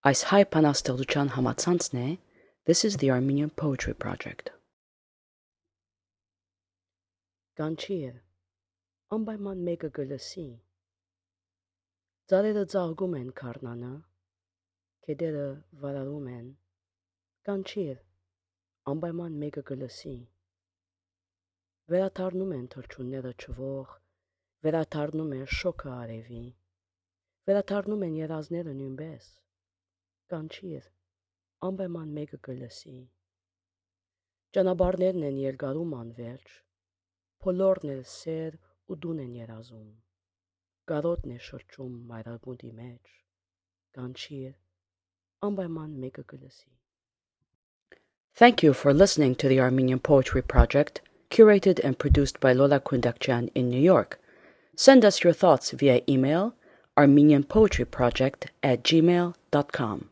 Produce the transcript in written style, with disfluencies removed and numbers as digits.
Այս հայ բանաստեղծության համացանցն է This is the Armenian Poetry Project. Կանչիր, անպայման մեկը կլսի, ծառերը ծաղկում են քարնանը, գետերը վարարում են, կանչիր, անպայման մեկը կլսի, վերադառնում են թռչունները չվող, վերադառնում է շոգը արևի, վերադառնում են երազները նույնպես, կանչիր, անպայման մեկը կլսի, ճանապարհներն են երկարում անվերջ, բոլորն էլ սեր ու դուն են երազում, կարոտն է շրջում մայրագուտի մեջ, կանչիր, անպայման մեկը կլսի. Thank you for listening to the Armenian Poetry Project, curated and produced by Lola Kundakjian in New York. Send us your thoughts via email, armenianpoetryproject@gmail.com.